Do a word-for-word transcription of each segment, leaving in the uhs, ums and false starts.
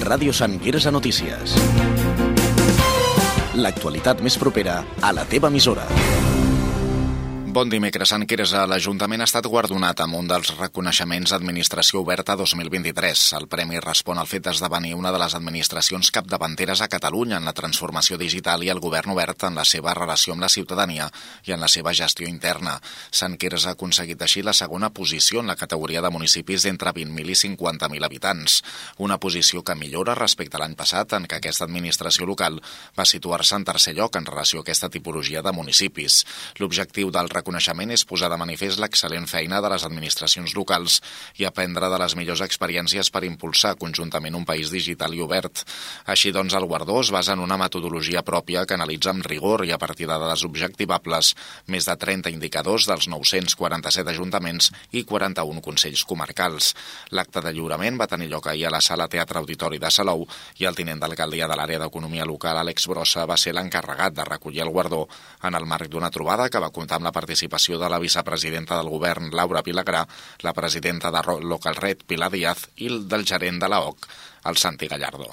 Ràdio Sant Quirze Notícies. L'actualitat més propera a la teva emissora. Bon dimecres, Sant Quirze. L'Ajuntament ha estat guardonat amb un dels reconeixements Administració Oberta dos mil vint-i-tres. El premi respon al fet d'esdevenir una de les administracions capdavanteres a Catalunya en la transformació digital i el govern obert en la seva relació amb la ciutadania i en la seva gestió interna. Sant Quirze ha aconseguit així la segona posició en la categoria de municipis d'entre vint mil i cinquanta mil habitants. Una posició que millora respecte a l'any passat, en què aquesta administració local va situar-se en tercer lloc en relació a aquesta tipologia de municipis. L'objectiu del reconeixement és posar de manifest l'excel·lent feina de les administracions locals i aprendre de les millors experiències per impulsar conjuntament un país digital i obert. Així doncs, el guardó es basa en una metodologia pròpia que analitza amb rigor i a partir de dades objectivables més de trenta indicadors dels nou-cents quaranta-set ajuntaments i quaranta-un consells comarcals. L'acte de lliurament va tenir lloc ahir a la Sala Teatre Auditori de Salou i el tinent d'alcaldia de l'àrea d'Economia Local, Àlex Brossa, va ser l'encarregat de recollir el guardó en el marc d'una trobada que va comptar amb la participació de la vicepresidenta del govern, Laura Vilagrà, la presidenta de Localred, Pilar Díaz, i del gerent de l'A O C, el Santi Gallardo.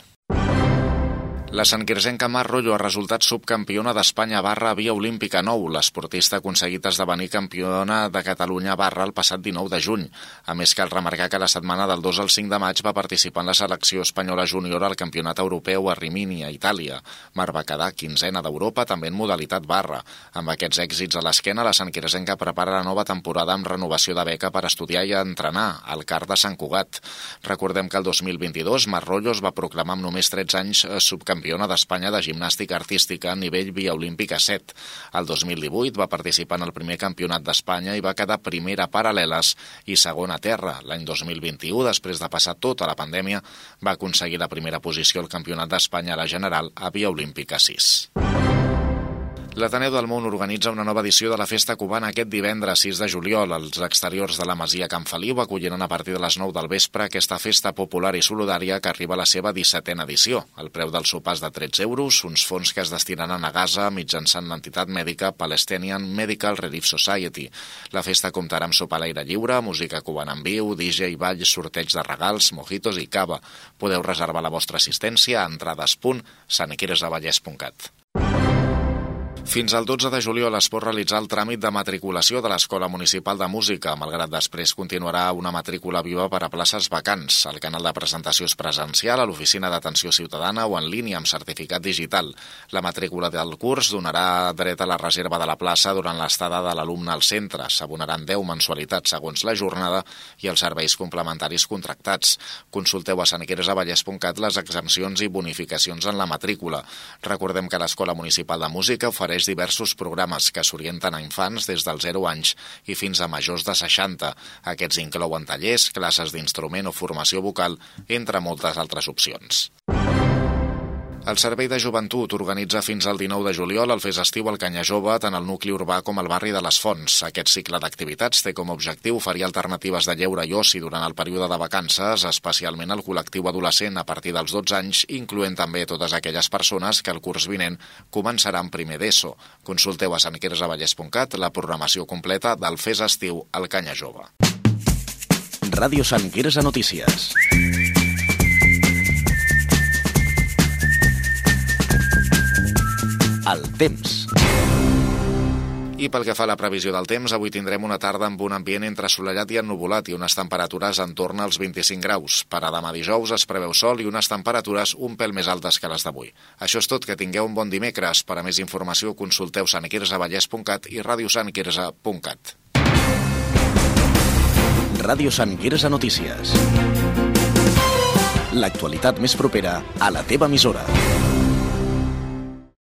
La santquirzenca Mar Rollo ha resultat subcampiona d'Espanya barra Via Olímpica nou. L'esportista ha aconseguit esdevenir campiona de Catalunya barra el passat dinou de juny. A més, cal remarcar que la setmana del dos al cinc de maig va participar en la selecció espanyola júnior al Campionat Europeu a Rimini, a Itàlia. Mar va quedar quinzena d'Europa, també en modalitat barra. Amb aquests èxits a l'esquena, la santquirzenca prepara la nova temporada amb renovació de beca per estudiar i entrenar al C A R de Sant Cugat. Recordem que el dos mil vint-i-dos Mar Rollo es va proclamar amb només tretze anys subcampiona d'Espanya de gimnàstica artística a nivell Via Olímpica set. El dos mil divuit va participar en el primer campionat d'Espanya i va quedar primera a paral·leles i segona a terra. L'any dos mil vint-i-u, després de passar tota la pandèmia, va aconseguir la primera posició al Campionat d'Espanya a la general a Via Olímpica sis. L'Ateneu del Món organitza una nova edició de la Festa Cubana aquest divendres sis de juliol. Els exteriors de la Masia Can Feliu acolliran a partir de les nou del vespre aquesta festa popular i solidària que arriba a la seva dissetena edició. El preu del sopar és de tretze euros, uns fons que es destinaran a Gaza mitjançant l'entitat mèdica Palestinian Medical Relief Society. La festa comptarà amb sopar a l'aire lliure, música cubana en viu, D J, ball, sorteig de regals, mojitos i cava. Podeu reservar la vostra assistència a entrades punt santquirzeavallès punt cat. Fins al dotze de juliol es pot realitzar el tràmit de matriculació de l'Escola Municipal de Música, malgrat després continuarà una matrícula viva per a places vacants. El canal de presentació és presencial a l'Oficina d'Atenció Ciutadana o en línia amb certificat digital. La matrícula del curs donarà dret a la reserva de la plaça durant l'estada de l'alumne al centre. S'abonaran deu mensualitats segons la jornada i els serveis complementaris contractats. Consulteu a santquirzeavallès punt cat les exempcions i bonificacions en la matrícula. Recordem que l'Escola Municipal de Música ofereix diversos programes que s'orienten a infants des dels zero anys i fins a majors de seixanta. Aquests inclouen tallers, classes d'instrument o formació vocal, entre moltes altres opcions. El Servei de Joventut organitza fins al dinou de juliol el Fes Estiu al Canya Jove tant al nucli urbà com al barri de les Fonts. Aquest cicle d'activitats té com a objectiu oferir alternatives de lleure i oci durant el període de vacances, especialment al col·lectiu adolescent a partir dels dotze anys, incloent també totes aquelles persones que el curs vinent començaran primer d'ESO. Consulteu a santquirzeavallès punt cat la programació completa del Fes Estiu al Canya Jove. Ràdio Sant Quirze Notícies. El temps. I pel que fa a la previsió del temps, avui tindrem una tarda amb un ambient entre assolellat i ennuvolat i unes temperatures en torn als vint-i-cinc graus. Per a demà dijous es preveu sol i unes temperatures un pèl més altes que les d'avui. Això és tot, que tingueu un bon dimecres. Per a més informació consulteu santquirzeavallès punt cat i ràdio sant quirze punt cat. Ràdio Sant Quirze Notícies. L'actualitat més propera a la teva emissora.